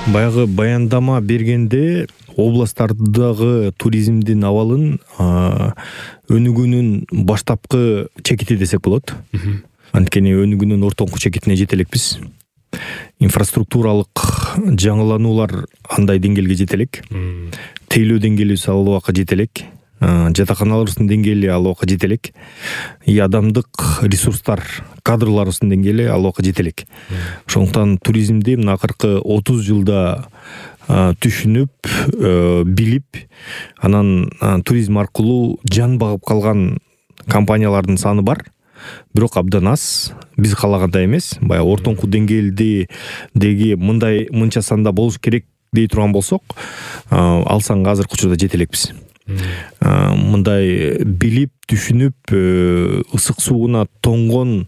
Баягы баяндама бергенде областтардагы туризмдин абалын өнүгүүнүн баштапкы чекити десек болот. Анткени өнүгүүнүн ортоңку чекитине жете элекпиз. Инфраструктуралык жаңылануулар андай деңгээлге жете элек. Тейлөө деңгээлибиз ал убакка жете элек. Жатаканаларыбыздын деңгээли ал убакка жете элек. Адамдык ресурстар, кадрларыбыздын деңгээли ал убакка жете элек. Ошондуктан туризмди мына акыркы 30 жылда түшүнүп, билип, анан туризм аркылуу жан багып калган компаниялардын саны бар. Бирок абдан аз, биз каалагандай эмес. Баягы ортоңку деңгээлдеги мынча санда болуш керек дей турган болсок, ал санга азыркы учурда жете элекпиз. Мындай билип, түшүнүп, ысык сууна тоңгон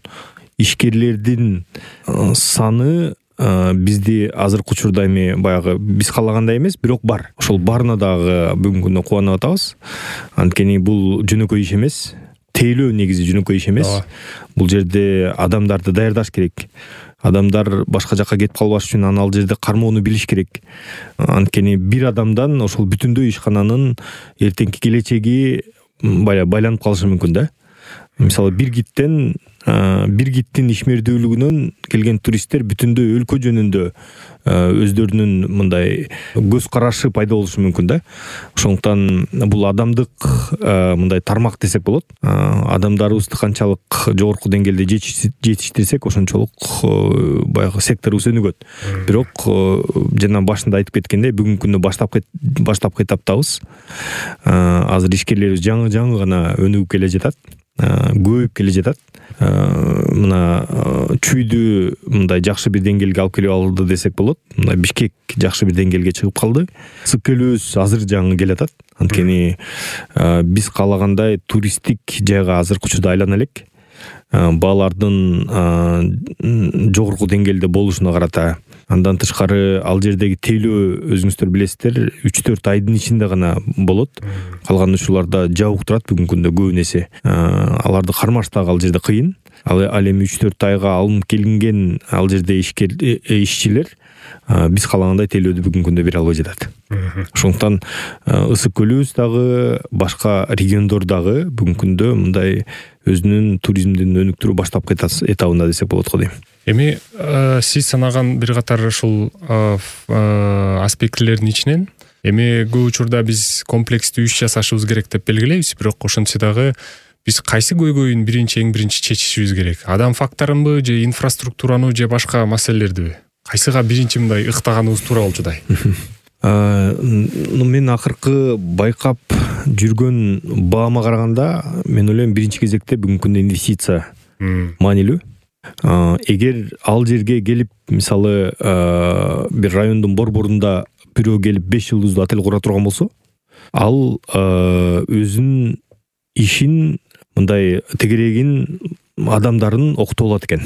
ишкерлердин саны бизди азыркы учурда эми баягы биз каалагандай эмес, бирок бар. Ошол барына дагы бүгүнкү күндө кубанып атабыз. Анткени бул жөнөкөй иш эмес. Тейлөө негизи жөнөкөй иш эмес. Бул жерде адамдарды даярдаш керек. Адамдар башка жакка кетип калбаш үчүн ал жерде кармоону билиш керек. Анткени бир адамдан ошол бүтүндөй ишкананын эртеңки келечеги байланып калышы мүмкүн да. Мисалы бир гидтин ишмердүүлүгүнөн келген туристтер бүтүндөй өлкө жөнүндө өздөрүнүн мындай көз карашы пайда болушу мүмкүн да. Ошондуктан бул адамдык мындай тармак десек болот. Адамдарыбызды канчалык жогорку деңгээлде жетиштирсек, ошончолук баягы секторубуз өнүгөт. Бирок жана башында айтып кеткендей, бүгүнкү күндө баштапкы этаптабыз. Азыр ишкерлерибиз жаңы гана өнүгүп келе жатат. Көбөйүп келе жатат. Мына Чүйдү мындай жакшы бир деңгээлге алып келип алды десек болот. Мына Бишкек жакшы бир деңгээлге чыгып калды. Ысык-Көлөөбүз азыр жаңы келатат. Анткени биз каалагандай туристтик жайга азыркы учурда айлана элек. Баалардын жогорку деңгээлде болушуна карата. Андан тышкары ал жердеги тейлөө өзүңүздөр билесиздер, 3-4 айдын ичинде гана болот. Калган учурларда жабык турат бүгүнкү күндө көбүнесе. Аларды кармаш дагы ал жерде кыйын. Ал эми 3-4 айга алынып келинген ал жерде ишчилер биз каалагандай тейлөөдү бүгүнкү күндө бере албай жатат. Ошондуктан Ысык-Көлөөбүз дагы, башка региондор дагы бүгүнкү күндө мындай өзүнүн туризмдин өнүктүрүү баштапкы этабында десек болот го дейм. Эми сиз санаган бир катар ушул аспектилердин ичинен эми көп учурда биз комплекстүү иш жасашыбыз керек деп белгилейбиз, бирок ошентсе дагы биз кайсы көйгөйүн эң биринчи чечишибиз керек? Адам факторунбу же инфраструктураны же башка маселелердиби? Кайсыга биринчи мындай ыктаганыбыз туура болчудай? Мен акыркы байкап жүргөн баама караганда, мен ойлойм биринчи кезекте бүгүнкү күндө инвестиция маанилүү. Эгер ал жерге келип, мисалы, бир райондун борборунда бирөө келип 5 жылдыздуу отель кура турган болсо, ал өзүнүн ишин мындай тегерегин адамдарын окутуп алат экен.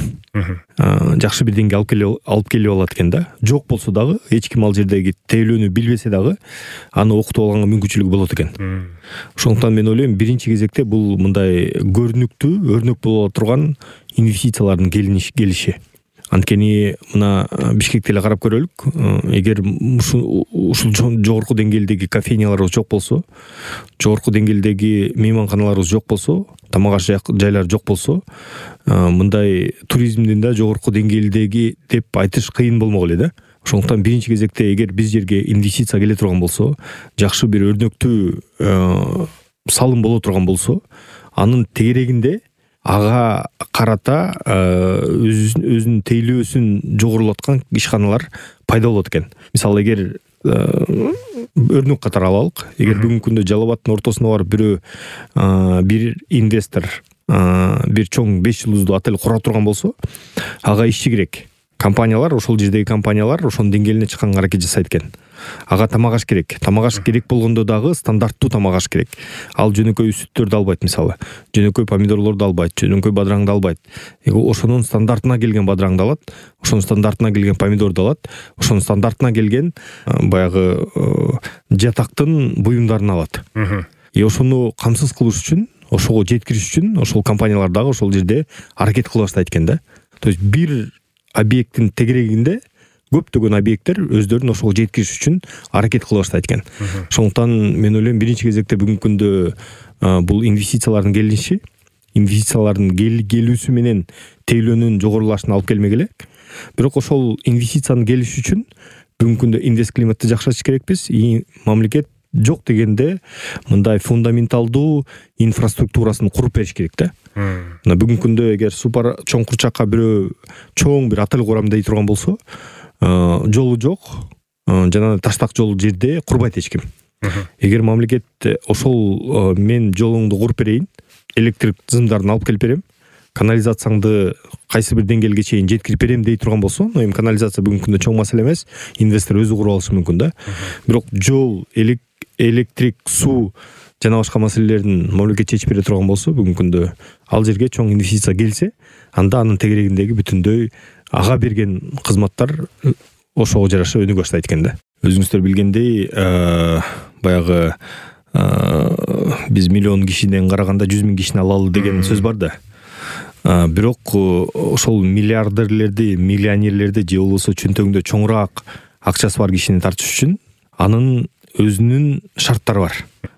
Жакшы бир деңгээлге алып келип алат экен да. Жок болсо дагы, эч ким ал жердеги тейлөөнү билбесе дагы, аны окутуп алганга мүмкүнчүлүгү болот экен. Ошондуктан мен ойлойм, биринчи кезекте бул мындай көрүнүктүү, өрнөк боло турган инвестициялардын келиши. Анткени мына Бишкекте эле карап көрөлүк. Эгер ушул жогорку деңгээлдеги кофейняларыбыз жок болсо, жогорку деңгээлдеги мейманканаларыбыз жок болсо, тамак аш жайлар жок болсо, мындай туризмдин да жогорку деңгээлдеги деп айтыш кыйын болмок эле да. Ошондуктан биринчи кезекте эгер биз жерге инвестиция келе турган болсо, жакшы бир өрнөктүү салым боло турган болсо, анын тегерегинде ага карата өзүнүн тейлөөсүн жогорулаткан ишканалар пайда болот экен. Мисалы, эгер өрнөк катары алалык, эгер бүгүнкү күндө Жалал Абадтын ортосуна барып бир инвестор бир чоң 5 жылдыздуу отель кура турган болсо, ага ишчи керек. Компаниялар, ошол жердеги компаниялар ошонун деңгээлине чыкканга аракет жасайт экен. Ага тамак аш керек. Тамак аш керек болгондо дагы стандарттуу тамак аш керек. Ал жөнөкөй сүттөрдү албайт, мисалы. Жөнөкөй помидорлорду албайт, жөнөкөй бадыраңды албайт. Ошонун стандартына келген бадыраңды алат, ошонун стандартына келген помидорду алат, ошонун стандартына келген баягы жатактын буюмдарын алат. Ошону камсыз кылыш үчүн, ошого жеткириш үчүн ошол компаниялар дагы ошол жерде аракет кыла баштайт экен да. То есть бир объекттин тегерегинде көптөгөн объекттер өздөрүн ошого жеткириш үчүн аракет кыла баштайт экен. Ошондуктан мен ойлойм биринчи кезекте бүгүнкү күндө бул инвестициялардын келиши, инвестициялардын келүүсү менен тейлөөнүн жогорулашына алып келмек элек. Бирок ошол инвестициянын келиши үчүн бүгүнкү күндө инвест климатты жакшыртыш керекпиз. Мамлекет жок дегенде мындай фундаменталдуу инфраструктурасын куруп бериш керек да. Мына бүгүнкү күндө эгер супер чоң курчакка бирөө чоң бир отель курам дей турган болсо, жолу жок, жана таштак жол жерде курбайт эч ким. Эгер мамлекет ошол мен жолуңду куруп берейин, электрик зымдарын алып келип берем, канализацияңды кайсы бир деңгээлге чейин жеткирип берем дей турган болсо, эми канализация бүгүнкү күндө чоң маселе эмес, инвестор өзү куруп алышы мүмкүн да. Бирок жол, электрик, суу жана башка маселелерин мамлекет чечип бере турган болсо, бүгүнкү күндө ал жерге чоң инвестиция келсе, анда анын тегерегиндеги бүтүндөй ага берген кызматтар ошого жараша өнүгө баштайт экен да. Өзүңүздөр билгендей, баягы биз миллион кишиден караганда 100 000 кишини алалы деген сөз бар да. Бирок ошол миллиардерлерди, миллионерлерди же болбосо чөнтөгүндө чоңураак акчасы бар кишини тартыш үчүн анын өзүнүн шарттары бар.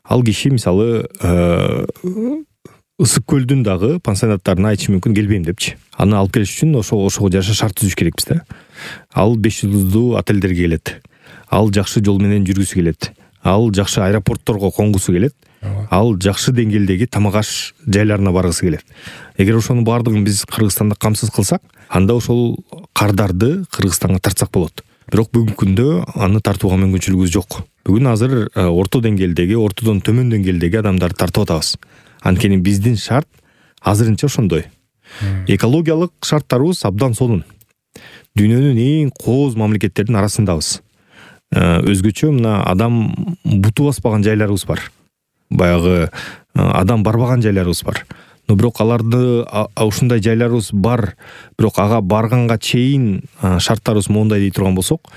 Ал киши мисалы ысык көлдүн дагы пансионаттарына айтышы мүмкүн келбейм депчи. Аны алып келиш үчүн ошого жараша шарт түзүш керекпиз да. Ал 5 жылдуу отелдерге келет. Ал жакшы жол менен жүргүсү келет. Ал жакшы аэропортторго конгусу келет. Ал жакшы деңгээлдеги тамак аш жайларына баргысы келет. Эгер ошонун баардыгын биз Кыргызстанда камсыз кылсак, анда ошол кардарды Кыргызстанга тартсак болот. Бирок бүгүнкү күндө аны тартууга мүмкүнчүлүгүбүз жок. Бүгүн азыр орто деңгээлдеги, ортодон төмөн деңгээлдеги адамдарды тартып атабыз. Анткени биздин шарт азырынча ошондой. Экологиялык шарттарыбыз абдан сонун. Дүйнөнүн эң кооз мамлекеттердин арасындабыз. Өзгөчө мына адам буту баспаган жайларыбыз бар. Баягы адам барбаган жайларыбыз бар. Но бирок аларды ушундай жайларыбыз бар, бирок ага барганга чейин шарттарыбыз моундай дей турган болсок,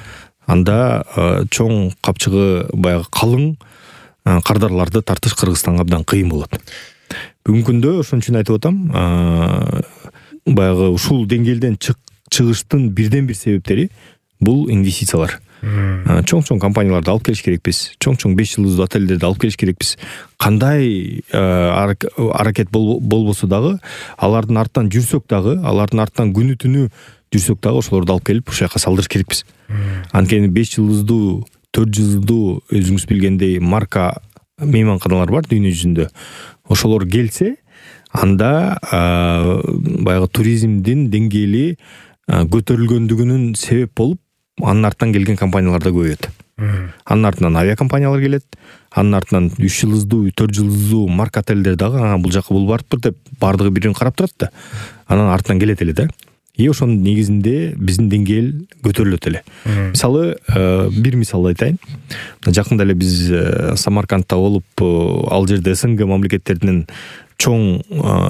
анда чоң капчыгы баягы калың кардарларды тартыш Кыргызстанга абдан кыйын болот. Бүгүнкү күндө ошон үчүн айтып атам, баягы ушул деңгээлден чыгыштын бирден бир себептери бул инвестициялар. Чоң компанияларды алып келиш керекпиз. Чоң 5 жылдуу отелдерди алып келиш керекпиз. Кандай аракет болбосо дагы, алардын артынан жүрсөк дагы, алардын артынан күнү түнү жүрсөк дагы ошолорду алып келип ошол жака салдырыш керекпиз. Анткени 5 жылдуу, 4 жылдуу өзүңүз билгендей марка мейманканалар бар дүйнө жүзүндө. Ошолор келсе, анда баягы туризмдин деңгээли көтөрүлгөндүгүнүн себеп болуп, анын артынан келген компаниялар да көбөйөт. Анын артынан авиакомпаниялар келет, анын артынан 3 жылдуу, 4 жылдуу марка отелдер дагы бул жака бул барыптыр деп баардыгы бирин карап турат да. Анан артынан келет эле да. Ошонун негизинде биздин деңгээл көтөрүлөт эле. Мисалы, бир мисал айтайын. Жакында эле биз Самаркандта болуп, ал жерде СНГ мамлекеттеринин чоң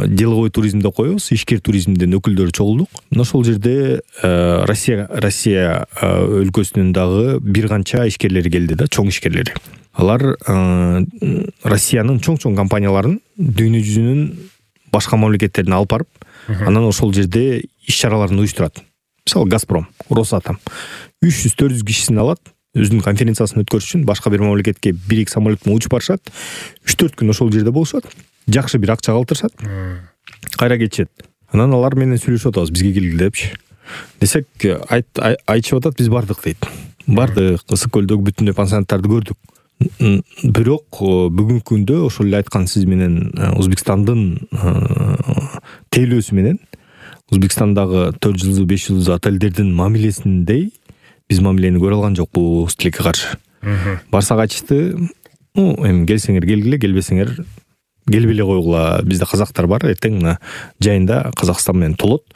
деловой туризмди коебуз, ишкер туризмдин өкүлдөрү чогулдук. Ошол жерде Россия өлкөсүнүн дагы бир канча ишкерлери келди да, чоң ишкерлери. Алар Россиянын чоң компанияларын дүйнө жүзүнүн башка мамлекеттерине алып барып, анан ошол жерде иш-чараларын уюштурат. Мисалы, Газпром, Росатом 300-400 кишисин алат, өзүнүн конференциясын өткөрүш үчүн башка бир мамлекетке 1-2 самолет менен учуп барышат. 3-4 күн ошол жерде болушат. Жакшы бир акча калтырышат. Кайра кетишет. Анан алар менен сүйлөшүп атабыз, бизге келгиле депчи. Десек, айтышып атат, биз бардык дейт. Бардык, ысык көлдөгү бүтүндөй пансионаттарды көрдүк. Бирок бүгүнкү күндө ошол эле айткан сиз менен Өзбекстандын тейлөөсү менен Өзбекстандагы 4 жылдуу, 5 жылдуу отелдердин мамилесиндей биз мамилени көрө алган жокпуз тилекке каршы. Барсак айтышты, эми келсеңер келгиле, келбесеңер келбей эле койгула. Бизде казактар бар, эртең мына жайында Казакстан менен толот.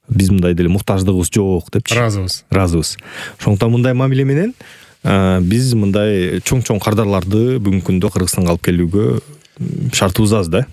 Биз мындай деле муктаждыгыбыз жок депчи. Разыбыз. Ошондуктан мындай мамиле менен биз мындай чоң кардарларды бүгүнкү күндө Кыргызстанга алып келүүгө шартыбыз аз да.